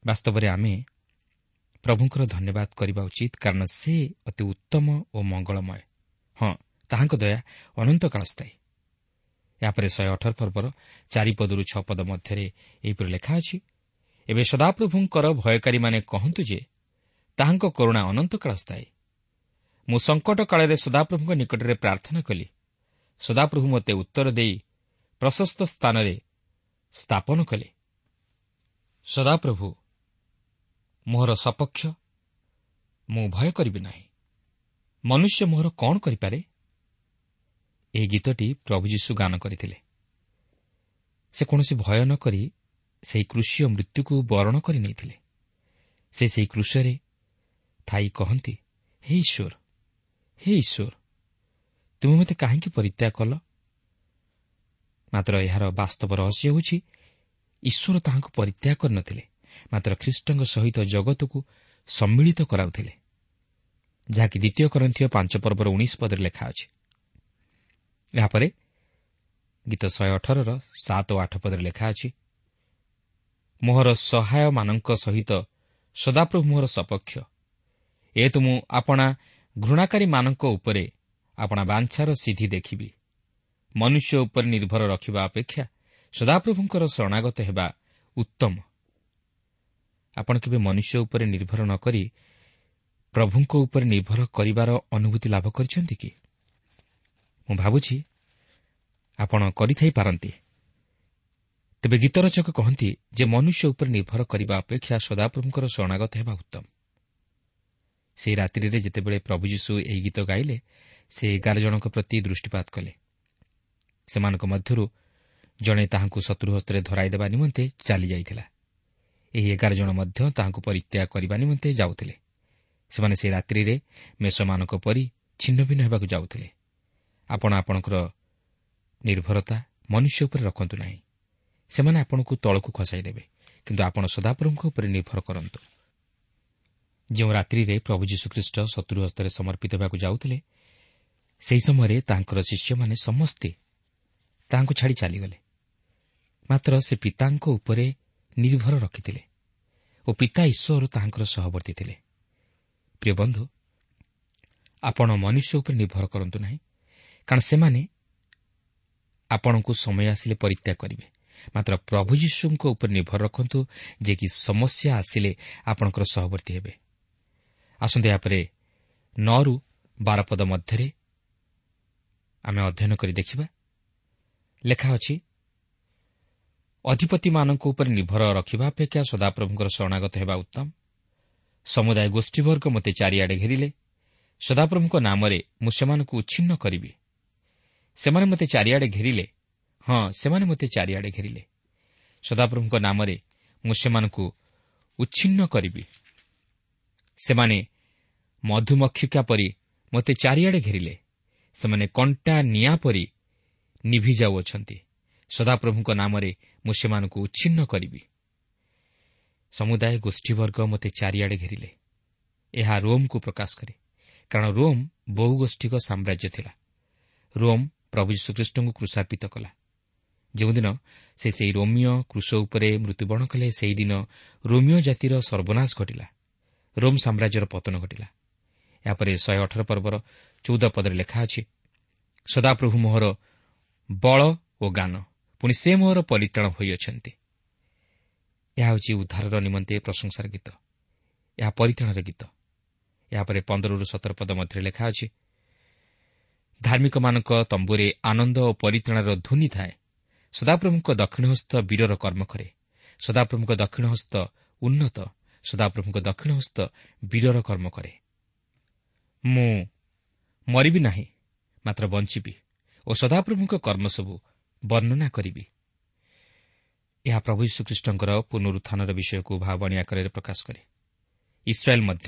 ବାସ୍ତବରେ ଆମେ ପ୍ରଭୁଙ୍କର ଧନ୍ୟବାଦ କରିବା ଉଚିତ, କାରଣ ସେ ଅତି ଉତ୍ତମ ଓ ମଙ୍ଗଳମୟ। ହଁ, ତାହାଙ୍କ ଦୟା ଅନନ୍ତକାଳ ସ୍ଥାୟୀ। ଏହାପରେ ଶହେ ଅଠର ପର୍ବର ଚାରିପଦରୁ ଛଅ ପଦ ମଧ୍ୟରେ ଏହିପରି ଲେଖା ଅଛି, ଏବେ ସଦାପ୍ରଭୁଙ୍କର ଭୟକାରୀମାନେ କହନ୍ତୁ ଯେ ତାହାଙ୍କ କରୁଣା ଅନନ୍ତକାଳ ସ୍ଥାୟୀ। ମୁଁ ସଙ୍କଟ କାଳରେ ସଦାପ୍ରଭୁଙ୍କ ନିକଟରେ ପ୍ରାର୍ଥନା କଲି, ସଦାପ୍ରଭୁ ମୋତେ ଉତ୍ତର ଦେଇ ପ୍ରଶସ୍ତ ସ୍ଥାନରେ ସ୍ଥାପନ କଲେ। ସଦାପ୍ରଭୁ ମୋହର ସପକ୍ଷ, ମୁଁ ଭୟ କରିବି ନାହିଁ। ମନୁଷ୍ୟ ମୋହର କ'ଣ କରିପାରେ? ଏହି ଗୀତଟି ପ୍ରଭୁ ଯୀଶୁ ଗାନ କରିଥିଲେ। ସେ କୌଣସି ଭୟ ନ କରି ସେହି କୃଷୀୟ ମୃତ୍ୟୁକୁ ବରଣ କରି ନେଇଥିଲେ। ସେ ସେହି କୃଷରେ ଥାଇ କହନ୍ତି, ହେ ଈଶ୍ୱର, ହେ ଈଶ୍ୱର, ତୁମେ ମୋତେ କାହିଁକି ପରିତ୍ୟାଗ କଲ? ମାତ୍ର ଏହାର ବାସ୍ତବ ରହସ୍ୟ ହେଉଛି, ଈଶ୍ୱର ତାହାଙ୍କୁ ପରିତ୍ୟାଗ କରିନଥିଲେ, ମାତ୍ର ଖ୍ରୀଷ୍ଟଙ୍କ ସହିତ ଜଗତକୁ ସମ୍ମିଳିତ କରାଉଥିଲେ, ଯାହାକି ଦ୍ୱିତୀୟ କରନ୍ଥୀୟ ପାଞ୍ଚ ପର୍ବର ଉଣେଇଶ ପଦରେ ଲେଖା ଅଛି। ଏହାପରେ ଗୀତ ଶହେ ଅଠରର ସାତ ଓ ଆଠ ପଦରେ ଲେଖା ଅଛି, ମୋହର ସହାୟମାନଙ୍କ ସହିତ ସଦାପ୍ରଭୁ ମୋହର ସପକ୍ଷ, ଏ ତ ମୁଁ ଆପଣା ଘୃଣାକାରୀମାନଙ୍କ ଉପରେ ଆପଣା ବାଞ୍ଛାର ସିଦ୍ଧି ଦେଖିବି। ମନୁଷ୍ୟ ଉପରେ ନିର୍ଭର ରଖିବା ଅପେକ୍ଷା ସଦାପ୍ରଭୁଙ୍କର ଶରଣାଗତ ହେବା ଉତ୍ତମ। ଆପଣ କେବେ ମନୁଷ୍ୟ ଉପରେ ନିର୍ଭର ନ କରି ପ୍ରଭୁଙ୍କ ଉପରେ ନିର୍ଭର କରିବାର ଅନୁଭୂତି ଲାଭ କରିଛନ୍ତି କି? ମୁଁ ଭାବୁଛି ଆପଣ କରିଥାଇପାରନ୍ତି। ତେବେ ଗୀତ ରଚକ କହନ୍ତି ଯେ ମନୁଷ୍ୟ ଉପରେ ନିର୍ଭର କରିବା ଅପେକ୍ଷା ସଦାପ୍ରଭୁଙ୍କର ଶରଣାଗତ ହେବା ଉତ୍ତମ। ସେହି ରାତ୍ରିରେ ଯେତେବେଳେ ପ୍ରଭୁ ଯୀଶୁ ଏହି ଗୀତ ଗାଇଲେ, ସେ ଏଗାର ଜଣଙ୍କ ପ୍ରତି ଦୃଷ୍ଟିପାତ କଲେ। ସେମାନଙ୍କ ମଧ୍ୟରୁ ଜଣେ ତାହାଙ୍କୁ ଶତ୍ରୁ ହସ୍ତରେ ଧରାଇଦେବା ନିମନ୍ତେ ଚାଲିଯାଇଥିଲା। ଏହି ଏଗାର ଜଣ ମଧ୍ୟ ତାହାଙ୍କୁ ପରିତ୍ୟାଗ କରିବା ନିମନ୍ତେ ଯାଉଥିଲେ। ସେମାନେ ସେହି ରାତ୍ରିରେ ମେଷମାନଙ୍କ ପରି ଛିନ୍ନଭିନ୍ନ ହେବାକୁ ଯାଉଥିଲେ। ଆପଣ ଆପଣଙ୍କର ନିର୍ଭରତା ମନୁଷ୍ୟ ଉପରେ ରଖନ୍ତୁ ନାହିଁ, ସେମାନେ ଆପଣଙ୍କୁ ତଳକୁ ଖସାଇଦେବେ, କିନ୍ତୁ ଆପଣ ସଦାପ୍ରଭୁଙ୍କ ଉପରେ ନିର୍ଭର କରନ୍ତୁ। ଯେଉଁ ରାତ୍ରିରେ ପ୍ରଭୁ ଯୀଶୁଖ୍ରୀଷ୍ଟ ଶତ୍ରୁ ହସ୍ତରେ ସମର୍ପିତ ହେବାକୁ ଯାଉଥିଲେ, ସେହି ସମୟରେ ତାଙ୍କର ଶିଷ୍ୟମାନେ ସମସ୍ତେ ତାହାଙ୍କୁ ଛାଡ଼ି ଚାଲିଗଲେ। ମାତ୍ର ସେ ପିତାଙ୍କ ଉପରେ ନିର୍ଭର ରଖିଥିଲେ ଓ ପିତା ଈଶ୍ୱର ତାହାଙ୍କର ସହବର୍ତ୍ତୀ ଥିଲେ। ପ୍ରିୟ ବନ୍ଧୁ, ଆପଣ ମନୁଷ୍ୟ ଉପରେ ନିର୍ଭର କରନ୍ତୁ ନାହିଁ, କାରଣ ସେମାନେ ଆପଣଙ୍କୁ ସମୟ ଆସିଲେ ପରିତ୍ୟାଗ କରିବେ। ମାତ୍ର ପ୍ରଭୁ ଯୀଶୁଙ୍କ ଉପରେ ନିର୍ଭର ରଖନ୍ତୁ, ଯେ କି ସମସ୍ୟା ଆସିଲେ ଆପଣଙ୍କର ସହବର୍ତ୍ତୀ ହେବେ। ଆସନ୍ତୁ ଏହାପରେ ନଅରୁ ବାର ପଦ ମଧ୍ୟରେ ଆମେ ଅଧ୍ୟୟନ କରି ଦେଖିବା। ଲେଖା ଅଛି, ଅଧିପତିମାନଙ୍କ ଉପରେ ନିର୍ଭର ରଖିବା ଅପେକ୍ଷା ସଦାପ୍ରଭୁଙ୍କର ଶରଣାଗତ ହେବା ଉତ୍ତମ। ସମୁଦାୟ ଗୋଷ୍ଠୀବର୍ଗ ମୋତେ ଚାରିଆଡ଼େ ଘେରିଲେ, ସଦାପ୍ରଭୁଙ୍କ ନାମରେ ମୁଁ ସେମାନଙ୍କୁ ଉଚ୍ଛିନ୍ନ କରିବି। ସେମାନେ ମୋତେ ଚାରିଆଡ଼େ ଘେରିଲେ, ହଁ ସେମାନେ ମୋତେ ଚାରିଆଡ଼େ ଘେରିଲେ। ସଦାପ୍ରଭୁଙ୍କ ନାମରେ ମୁଁ ସେମାନଙ୍କୁ ଉଚ୍ଛିନ୍ନ କରିବି। ସେମାନେ ମଧୁମକ୍ଷିକା ପରି ମୋତେ ଚାରିଆଡ଼େ ଘେରିଲେ, ସେମାନେ କଣ୍ଟା ନିଆଁ ପରି ନିଭି ଯାଉଅଛନ୍ତି। ସଦାପ୍ରଭୁଙ୍କ ନାମରେ ମୁଁ ସେମାନଙ୍କୁ ଉଚ୍ଛିନ୍ନ କରିବି। ସମୁଦାୟ ଗୋଷ୍ଠୀବର୍ଗ ମୋତେ ଚାରିଆଡ଼େ ଘେରିଲେ। ଏହା ରୋମ୍କୁ ପ୍ରକାଶ କରେ, କାରଣ ରୋମ୍ ବହୁଗୋଷ୍ଠୀକ ସାମ୍ରାଜ୍ୟ ଥିଲା। ରୋମ୍ ପ୍ରଭୁ ଯୀଶୁଖ୍ରୀଷ୍ଟଙ୍କୁ କ୍ରୁଶାର୍ପିତ କଲା। ଯେଉଁଦିନ ସେ ସେହି ରୋମିଓ କ୍ରୁଶ ଉପରେ ମୃତ୍ୟୁବରଣ କଲେ, ସେହିଦିନ ରୋମିଓ ଜାତିର ସର୍ବନାଶ ଘଟିଲା, ରୋମ୍ ସାମ୍ରାଜ୍ୟର ପତନ ଘଟିଲା। ଏହାପରେ ଶହେ ଅଠର ପର୍ବର ଚଉଦ ପଦରେ ଲେଖା ଅଛି, ସଦାପ୍ରଭୁ ମୋହର ବଳ ଓ ଗାନ, ପୁଣି ସେ ମୋହର ପରିତ୍ରାଣ ହୋଇଅଛନ୍ତି। ଏହା ହେଉଛି ଉଦ୍ଧାରର ନିମନ୍ତେ ପ୍ରଶଂସାର ଗୀତ, ଏହା ପରିତ୍ରାଣର ଗୀତ। ଏହାପରେ ପନ୍ଦରରୁ ସତର ପଦ ମଧ୍ୟରେ ଲେଖା ଅଛି, ଧାର୍ମିକମାନଙ୍କ ତମ୍ବୁରେ ଆନନ୍ଦ ଓ ପରିତ୍ରାଣର ଧ୍ୱନି ଥାଏ। ସଦାପ୍ରଭୁଙ୍କ ଦକ୍ଷିଣହସ୍ତ ବୀରର କର୍ମ କରେ, ସଦାପ୍ରଭୁଙ୍କ ଦକ୍ଷିଣହସ୍ତ ଉନ୍ନତ, ସଦାପ୍ରଭୁଙ୍କ ଦକ୍ଷିଣହସ୍ତ ବୀରର କର୍ମ କରେ। ମୁଁ ମରିବି ନାହିଁ, ମାତ୍ର ବଞ୍ଚିବି ଓ ସଦାପ୍ରଭୁଙ୍କ କର୍ମ ସବୁ ବର୍ଣ୍ଣନା କରିବି। ଏହା ପ୍ରଭୁ ଯୀଶୁଖ୍ରୀଷ୍ଟଙ୍କର ପୁନରୁତ୍ଥାନର ବିଷୟକୁ ଭାବବାଣୀ ଆକାରରେ ପ୍ରକାଶ କରେ। ଇସ୍ରାଏଲ୍ ମଧ୍ୟ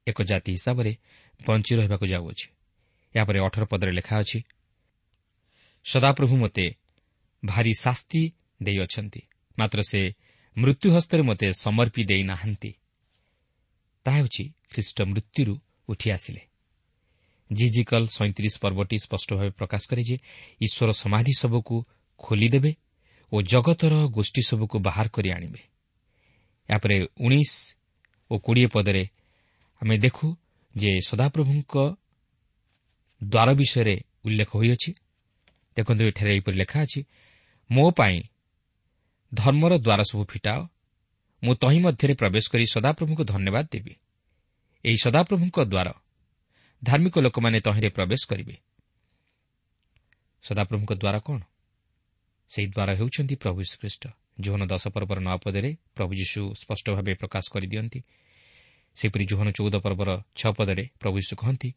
ଏକ ଜାତି ହିସାବରେ ବଞ୍ଚି ରହିବାକୁ ଯାଉଅଛି। ଏହାପରେ ଅଠର ପଦରେ ଲେଖା ଅଛି, ସଦାପ୍ରଭୁ ମୋତେ ଭାରି ଶାସ୍ତି ଦେଇଅଛନ୍ତି, ମାତ୍ର ସେ ମୃତ୍ୟୁ ହସ୍ତରେ ମୋତେ ସମର୍ପି ଦେଇନାହାନ୍ତି। ତାହା ହେଉଛି ଖ୍ରୀଷ୍ଟ ମୃତ୍ୟୁରୁ ଉଠି ଆସିଲେ। ଜିଜିକଲ ସଇଁତିରିଶ ପର୍ବଟି ସ୍ପଷ୍ଟ ଭାବେ ପ୍ରକାଶ କରେ ଯେ ଈଶ୍ୱର ସମାଧି ସବୁକୁ ଖୋଲିଦେବେ ଓ ଜଗତର ଗୋଷ୍ଠୀ ସବୁକୁ ବାହାର କରି ଆଣିବେ। ଏହାପରେ ଉଣେଇଶ ଓ କୋଡ଼ିଏ ପଦରେ ଆମେ ଦେଖୁ ଯେ ସଦାପ୍ରଭୁଙ୍କ ଦ୍ୱାର ବିଷୟରେ ଉଲ୍ଲେଖ ହୋଇଅଛି। ଦେଖନ୍ତୁ, ଏଠାରେ ଏହିପରି ଲେଖା ଅଛି, ମୋ ପାଇଁ ଧର୍ମର ଦ୍ୱାର ସବୁ ଫିଟାଅ, ମୁଁ ତହିଁ ମଧ୍ୟରେ ପ୍ରବେଶ କରି ସଦାପ୍ରଭୁଙ୍କୁ ଧନ୍ୟବାଦ ଦେବି। ଏହି ସଦାପ୍ରଭୁଙ୍କ ଦ୍ୱାର, ଧାର୍ମିକ ଲୋକମାନେ ତହିଁରେ ପ୍ରବେଶ କରିବେ। ସଦାପ୍ରଭୁଙ୍କ ଦ୍ୱାର କ'ଣ? ସେହି ଦ୍ୱାର ହେଉଛନ୍ତି ପ୍ରଭୁ ଯୀଶୁଖ୍ରୀଷ୍ଟ। ଯୋହନ ଦଶ ପର୍ବର ନଅ ପଦରେ ପ୍ରଭୁ ଯୀଶୁ ସ୍ପଷ୍ଟ ଭାବେ ପ୍ରକାଶ କରିଦିଅନ୍ତି। ସେହିପରି ଯୋହନ ଚଉଦ ପର୍ବର ଛଅ ପଦରେ ପ୍ରଭୁ ଯୀଶୁ କହନ୍ତି,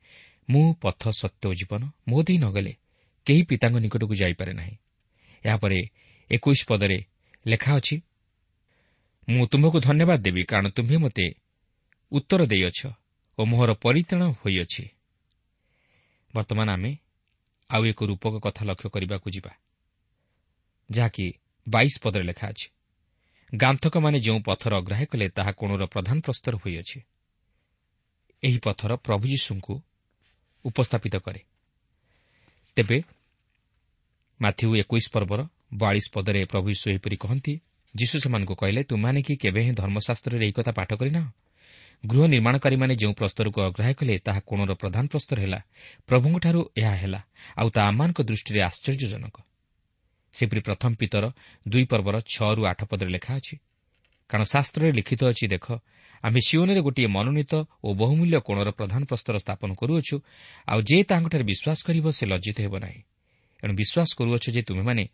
ମୁଁ ପଥ, ସତ୍ୟ ଓ ଜୀବନ, ମୋ ଦେଇ ନ ଗଲେ କେହି ପିତାଙ୍କ ନିକଟକୁ ଯାଇପାରେ ନାହିଁ। ଏହାପରେ ଏକୋଇଶ ପଦରେ ଲେଖା ଅଛି, ମୁଁ ତୁମ୍ଭକୁ ଧନ୍ୟବାଦ ଦେବି, କାରଣ ତୁମ୍ଭେ ମୋତେ ଉତ୍ତର ଦେଇଅଛ ଓ ମୋହର ପରିତ୍ରାଣ ହୋଇଅଛି। ବର୍ତ୍ତମାନ ଆମେ ଆଉ ଏକ ରୂପକ କଥା ଲକ୍ଷ୍ୟ କରିବାକୁ ଯିବା, ଯାହାକି ବାଇଶ ପଦରେ ଲେଖା ଅଛି, ଗାନ୍ଥକମାନେ ଯେଉଁ ପଥର ଅଗ୍ରାହ୍ୟ କଲେ ତାହା କୋଣର ପ୍ରଧାନ ପ୍ରସ୍ତର ହୋଇଅଛି। ଏହି ପଥର ପ୍ରଭୁ ଯୀଶୁଙ୍କୁ ଉପସ୍ଥାପିତ କରେ। ତେବେ ମାଥିଉ ଏକୋଇଶ ପର୍ବର ବୟାଳିଶ ପଦରେ ପ୍ରଭୁ ଯୀଶୁ ଏହିପରି କହନ୍ତି, ଯୀଶୁ ସେମାନଙ୍କୁ କହିଲେ, ତୁମ୍ଭେମାନେ କି କେବେ ହିଁ ଧର୍ମଶାସ୍ତ୍ରରେ ଏହି କଥା ପାଠ କରିନାହ? ଗୃହ ନିର୍ମାଣକାରୀମାନେ ଯେଉଁ ପ୍ରସ୍ତରକୁ ଅଗ୍ରାହ୍ୟ କଲେ ତାହା କୋଣର ପ୍ରଧାନ ପ୍ରସ୍ତର ହେଲା। ପ୍ରଭୁଙ୍କଠାରୁ ଏହା ହେଲା, ଆଉ ତାହା ଆମମାନଙ୍କ ଦୃଷ୍ଟିରେ ଆଶ୍ଚର୍ଯ୍ୟଜନକ। ସେପରି ପ୍ରଥମ ପିତର ଦୁଇ ପର୍ବର ଛଅରୁ ଆଠ ପଦରେ ଲେଖା ଅଛି, କାରଣ ଶାସ୍ତ୍ରରେ ଲିଖିତ ଅଛି, ଦେଖ, ଆମେ ସିଓନରେ ଗୋଟିଏ ମନୋନୀତ ଓ ବହୁମୂଲ୍ୟ କୋଣର ପ୍ରଧାନ ପ୍ରସ୍ତର ସ୍ଥାପନ କରୁଅଛୁ, ଆଉ ଯେ ତାହାଙ୍କଠାରେ ବିଶ୍ୱାସ କରିବ ସେ ଲଜ୍ଜିତ ହେବ ନାହିଁ। ଏଣୁ ବିଶ୍ୱାସ କରୁଅଛ ଯେ ତୁମେମାନେ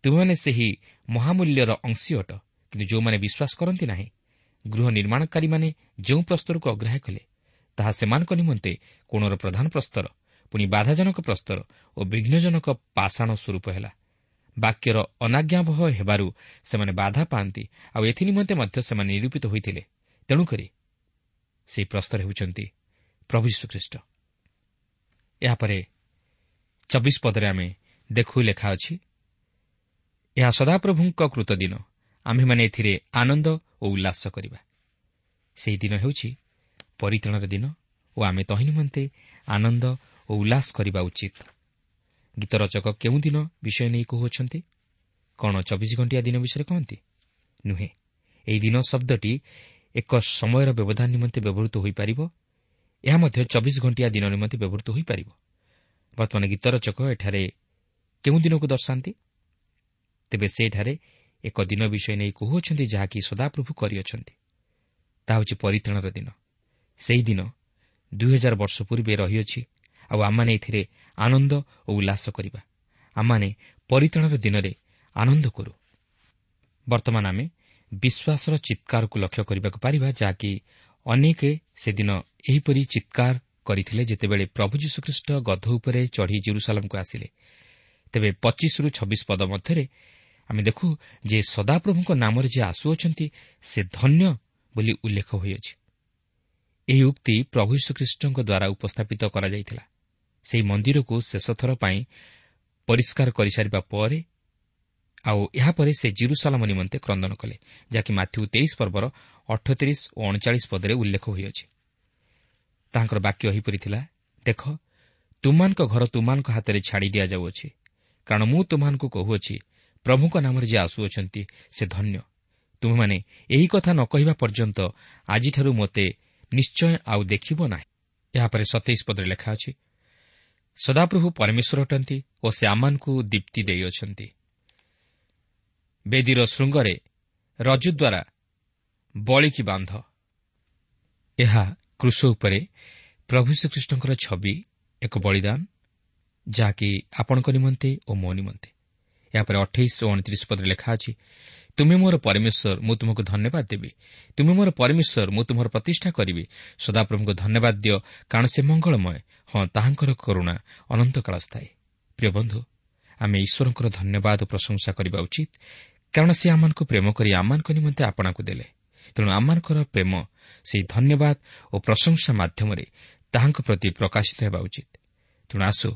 ତୁମେମାନେ ସେହି ମହାମୂଲ୍ୟର ଅଂଶୀ ଅଟ। କିନ୍ତୁ ଯେଉଁମାନେ ବିଶ୍ୱାସ କରନ୍ତି ନାହିଁ, ଗୃହ ନିର୍ମାଣକାରୀମାନେ ଯେଉଁ ପ୍ରସ୍ତରକୁ ଅଗ୍ରାହ୍ୟ କଲେ ତାହା ସେମାନଙ୍କ ନିମନ୍ତେ କୋଣର ପ୍ରଧାନ ପ୍ରସ୍ତର, ପୁଣି ବାଧାଜନକ ପ୍ରସ୍ତର ଓ ବିଘ୍ନଜନକ ପାଷାଣ ସ୍ୱରୂପ ହେଲା। ବାକ୍ୟର ଅନାଜ୍ଞାବହ ହେବାରୁ ସେମାନେ ବାଧା ପାଆନ୍ତି, ଆଉ ଏଥି ନିମନ୍ତେ ମଧ୍ୟ ସେମାନେ ନିରୂପିତ ହୋଇଥିଲେ। ତେଣୁକରି ସେହି ପ୍ରସ୍ତର ହେଉଛନ୍ତି ପ୍ରଭୁ ଯୀଶୁଖ୍ରୀଷ୍ଟ। ଏହାପରେ ଚବିଶ ପଦରେ ଆମେ ଦେଖୁ ଲେଖା ଅଛି, ଏହା ସଦାପ୍ରଭୁଙ୍କ କୃତ ଦିନ, ଆମ୍ଭେମାନେ ଏଥିରେ ଆନନ୍ଦ ଓ ଉଲ୍ଲାସ କରିବା। ସେହି ଦିନ ହେଉଛି ପରିତ୍ରାଣର ଦିନ ଓ ଆମେ ତହିଁ ନିମନ୍ତେ ଆନନ୍ଦ ଓ ଉଲ୍ଲାସ କରିବା ଉଚିତ। ଗୀତ ରଚକ କେଉଁ ଦିନ ବିଷୟ ନେଇ କହୁଅଛନ୍ତି? କ'ଣ ଚବିଶ ଘଣ୍ଟିଆ ଦିନ ବିଷୟରେ କହନ୍ତି? ନୁହେଁ। ଏହି ଦିନ ଶବ୍ଦଟି ଏକ ସମୟର ବ୍ୟବଧାନ ନିମନ୍ତେ ବ୍ୟବହୃତ ହୋଇପାରିବ। ଏହା ମଧ୍ୟ ଚବିଶ ଘଣ୍ଟିଆ ଦିନ ନିମନ୍ତେ ବ୍ୟବହୃତ ହୋଇପାରିବ। ବର୍ତ୍ତମାନ ଗୀତ ରଚକ ଏଠାରେ କେଉଁ ଦିନକୁ ଦର୍ଶାନ୍ତି? ତେବେ ସେଠାରେ ଏକ ଦିନ ବିଷୟ ନେଇ କହୁଅଛନ୍ତି ଯାହାକି ସଦାପ୍ରଭୁ କରିଅଛନ୍ତି। ତାହା ହେଉଛି ପରିତ୍ରାଣର ଦିନ। ସେହି ଦିନ ଦୁଇ ହଜାର ବର୍ଷ ପୂର୍ବେ ରହିଅଛି, ଆଉ ଆମମାନେ ଏଥିରେ ଆନନ୍ଦ ଓ ଉଲ୍ଲାସ କରିବା। ଆମମାନେ ପରିତ୍ରାଣର ଦିନରେ ଆନନ୍ଦ କରୁ। ବର୍ତ୍ତମାନ ଆମେ ବିଶ୍ୱାସର ଚିତ୍କାରକୁ ଲକ୍ଷ୍ୟ କରିବାକୁ ପାରିବା, ଯାହାକି ଅନେକ ସେଦିନ ଏହିପରି ଚିତ୍କାର କରିଥିଲେ ଯେତେବେଳେ ପ୍ରଭୁ ଯୀଶୁଖ୍ରୀଷ୍ଟ ଗଧ ଉପରେ ଚଢ଼ି ଜେରୁସାଲାମକୁ ଆସିଲେ। ତେବେ ପଚିଶରୁ ଛବିଶ ପଦ ମଧ୍ୟରେ ଆମେ ଦେଖୁ ଯେ ସଦାପ୍ରଭୁଙ୍କ ନାମରେ ଯିଏ ଆସୁଅଛନ୍ତି ସେ ଧନ୍ୟ ବୋଲି ଉଲ୍ଲେଖ ହୋଇଅଛି। ଏହି ଉକ୍ତି ପ୍ରଭୁ ଯୀଶୁଖ୍ରୀଷ୍ଟଙ୍କ ଦ୍ୱାରା ଉପସ୍ଥାପିତ କରାଯାଇଥିଲା। ସେହି ମନ୍ଦିରକୁ ଶେଷଥର ପାଇଁ ପରିଷ୍କାର କରିସାରିବା ପରେ ଆଉ ଏହାପରେ ସେ ଜିରୁସାଲାମ ନିମନ୍ତେ କ୍ରନ୍ଦନ କଲେ, ଯାହାକି ମାଥ୍ୟୁ ତେଇଶ ପର୍ବର ଅଠତିରିଶ ଓ ଅଣଚାଳିଶ ପଦରେ ଉଲ୍ଲେଖ ହୋଇଅଛି। ତାହାଙ୍କର ବାକ୍ୟ ଏହିପରି ଥିଲା, ଦେଖ, ତୁମମାନଙ୍କ ଘର ତୁମମାନଙ୍କ ହାତରେ ଛାଡ଼ି ଦିଆଯାଉଅଛି, କାରଣ ମୁଁ ତୁମମାନଙ୍କୁ କହୁଅଛି, ପ୍ରଭୁଙ୍କ ନାମରେ ଯିଏ ଆସୁଅଛନ୍ତି ସେ ଧନ୍ୟ। ତୁମେମାନେ ଏହି କଥା ନ କହିବା ପର୍ଯ୍ୟନ୍ତ ଆଜିଠାରୁ ମୋତେ ନିଶ୍ଚୟ ଆଉ ଦେଖିବ ନାହିଁ। ଏହାପରେ ସତେଇଶ ପଦରେ ଲେଖା ଅଛି, ସଦାପ୍ରଭୁ ପରମେଶ୍ୱର ଅଟନ୍ତି ଓ ସେ ଆମମାନଙ୍କୁ ଦୀପ୍ତି ଦେଇଅଛନ୍ତି। ବେଦୀର ଶୃଙ୍ଗରେ ରଜୁ ଦ୍ୱାରା ବଳିକି ବାନ୍ଧ। ଏହା କ୍ରୁଶ ଉପରେ ପ୍ରଭୁ ଶ୍ରୀଖ୍ରୀଷ୍ଟଙ୍କର ଛବି, ଏକ ବଳିଦାନ, ଯାହାକି ଆପଣଙ୍କ ନିମନ୍ତେ ଓ ମୋ ନିମନ୍ତେ। ଏହାପରେ ଅଠେଇଶ ଓ ଅଣତିରିଶ ପଦରେ ଲେଖା ଅଛି, ତୁମେ ମୋର ପରମେଶ୍ୱର, ମୁଁ ତୁମକୁ ଧନ୍ୟବାଦ ଦେବି। ତୁମେ ମୋର ପରମେଶ୍ୱର, ମୁଁ ତୁମର ପ୍ରତିଷ୍ଠା କରିବି। ସଦାପ୍ରଭୁଙ୍କୁ ଧନ୍ୟବାଦ ଦିଅ, କାରଣ ସେ ମଙ୍ଗଳମୟ, ହଁ, ତାହାଙ୍କର କରୁଣା ଅନନ୍ତକାଳ ସ୍ଥାୟୀ। ପ୍ରିୟ ବନ୍ଧୁ, ଆମେ ଈଶ୍ୱରଙ୍କର ଧନ୍ୟବାଦ ଓ ପ୍ରଶଂସା କରିବା ଉଚିତ, କାରଣ ସେ ଆମମାନଙ୍କୁ ପ୍ରେମ କରି ଆମମାନଙ୍କ ନିମନ୍ତେ ଆପଣାକୁ ଦେଲେ। ତେଣୁ ଆମମାନଙ୍କର ପ୍ରେମ ସେହି ଧନ୍ୟବାଦ ଓ ପ୍ରଶଂସା ମାଧ୍ୟମରେ ତାହାଙ୍କ ପ୍ରତି ପ୍ରକାଶିତ ହେବା ଉଚିତ। ତେଣୁ ଆସୁ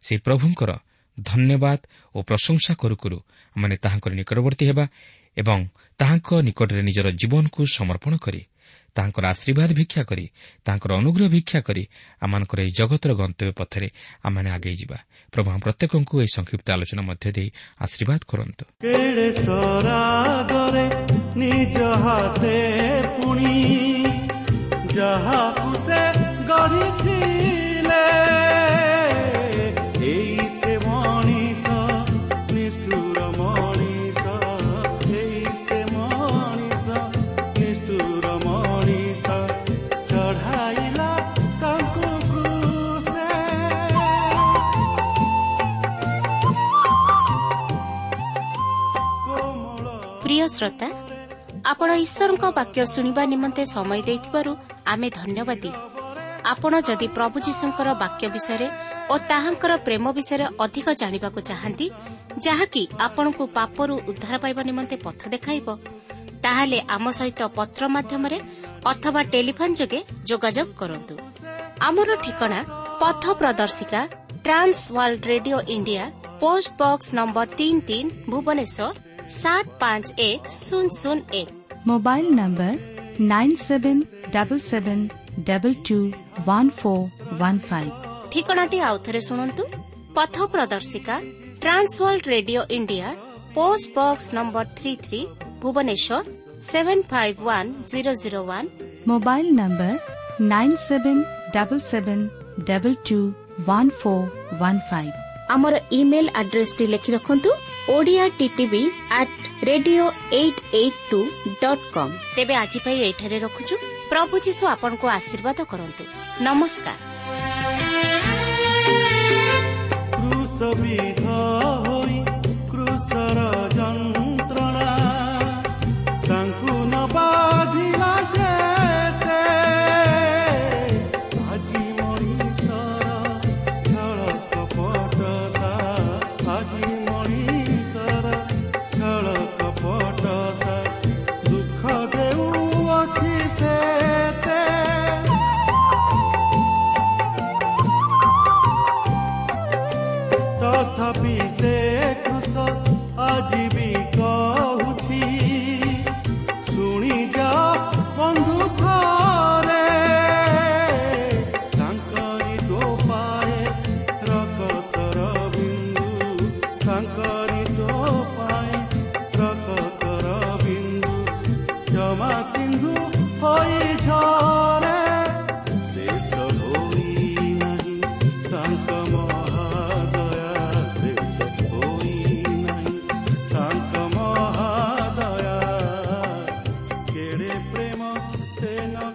ସେହି ପ୍ରଭୁଙ୍କର ଧନ୍ୟବାଦ ଓ ପ୍ରଶଂସା କରୁ କରୁ ଆମମାନେ ତାହାଙ୍କର ନିକଟବର୍ତ୍ତୀ ହେବା ଏବଂ ତାହାଙ୍କ ନିକଟରେ ନିଜର ଜୀବନକୁ ସମର୍ପଣ କରି ତାହାଙ୍କର ଆଶୀର୍ବାଦ ଭିକ୍ଷା କରି ତାହାଙ୍କର ଅନୁଗ୍ରହ ଭିକ୍ଷା କରି ଆମମାନଙ୍କର ଏହି ଜଗତର ଗନ୍ତବ୍ୟ ପଥରେ ଆମମାନେ ଆଗେଇ ଯିବା। ପ୍ରଭୁ ଆମ ପ୍ରତ୍ୟେକଙ୍କୁ ଏହି ସଂକ୍ଷିପ୍ତ ଆଲୋଚନା ମଧ୍ୟ ଦେଇ ଆଶୀର୍ବାଦ କରନ୍ତୁ। ନିଜ ହାତେ ପୁଣି ଯାହାକୁ ସେ ଗଢ଼ିଥିଲେ, ଏଇ ସେ ମଣିଷ ନିଷ୍ଠୁର ମଣିଷ, ଏଇ ସେ ମଣିଷ ନିଷ୍ଠୁର ମଣିଷ ଚଢ଼ାଇଲା ତାଙ୍କୁ କ୍ରୁଶେ। ପ୍ରିୟ ଶ୍ରୋତା, ଆପଣ ଈଶ୍ୱରଙ୍କ ବାକ୍ୟ ଶୁଣିବା ନିମନ୍ତେ ସମୟ ଦେଇଥିବାରୁ ଆମେ ଧନ୍ୟବାଦୀ। ଆପଣ ଯଦି ପ୍ରଭୁ ଯୀଶୁଙ୍କର ବାକ୍ୟ ବିଷୟରେ ଓ ତାହାଙ୍କର ପ୍ରେମ ବିଷୟରେ ଅଧିକ ଜାଣିବାକୁ ଚାହାନ୍ତି, ଯାହାକି ଆପଣଙ୍କୁ ପାପରୁ ଉଦ୍ଧାର ପାଇବା ନିମନ୍ତେ ପଥ ଦେଖାଇବ, ତାହେଲେ ଆମ ସହିତ ପତ୍ର ମାଧ୍ୟମରେ ଅଥବା ଟେଲିଫୋନ୍ ଯୋଗେ ଯୋଗାଯୋଗ କରନ୍ତୁ। ଆମର ଠିକଣା ପଥ ପ୍ରଦର୍ଶିକା, Trans World Radio India, post box number ତିନି ତିନି, ଭୁବନେଶ୍ୱର ସାତ ପାଞ୍ଚ ଏକ ଶୂନ ଶୂନ ଏକ। Mobile number nine seven double seven double two one four one five. ଠିକଣାଟି ଆଉଥରେ ଶୁଣନ୍ତୁ, ପଥ ପ୍ରଦର୍ଶିକା, Trans World Radio India, post box number three three, Bhubaneswar seven five one zero zero one. Mobile number nine seven double seven double two one four one five. ଆମର ଇମେଲ୍ ଆଡ୍ରେସଟି ଲେଖି ରଖନ୍ତୁ, Odia TTV at radio eight eight two dot com. ତେବେ ଆଜି ପାଇଁ ଏଇଠାରେ ରଖୁଛୁ। ପ୍ରଭୁ ଯୀଶୁ ଆପଣଙ୍କୁ ଆଶୀର୍ବାଦ କରନ୍ତୁ। ନମସ୍କାର। କ୍ରୁଶବିଦ୍ଧ ହୋଇ କ୍ରୁଶର ଯନ୍ତ୍ରଣା ତାଙ୍କୁ ନ ବାଧିଲା ଯେତେ, ଆଜି ମଣିଷର ଛଳ କପଟତା, ଆଜି ମଣିଷର ଛଳ କପଟତା ଦୁଃଖ ଦେଉଅଛି ସେତେ। ତଥାପି ସେ କ୍ରୁଶ ଆଜି ବି କହୁଛି, ଶୁଣି ଯା ବନ୍ଧୁ ଥରେ, ତାଙ୍କରି ଟୋପାଏ ରକତର ବିନ୍ଦୁ, ତାଙ୍କରି ଟୋପାଏ ରକତର ବିନ୍ଦୁ ଜମା ସିନ୍ଧୁ ହୋଇ ଝରେ। ଶେଷ ହୋଇ ନାହିଁ ତାଙ୍କ ମହାଦୟା, ଶେଷ ହୋଇ ନାହିଁ ତାଙ୍କ ମହାଦୟା, କେଡ଼େ ପ୍ରେମ ସେ ନ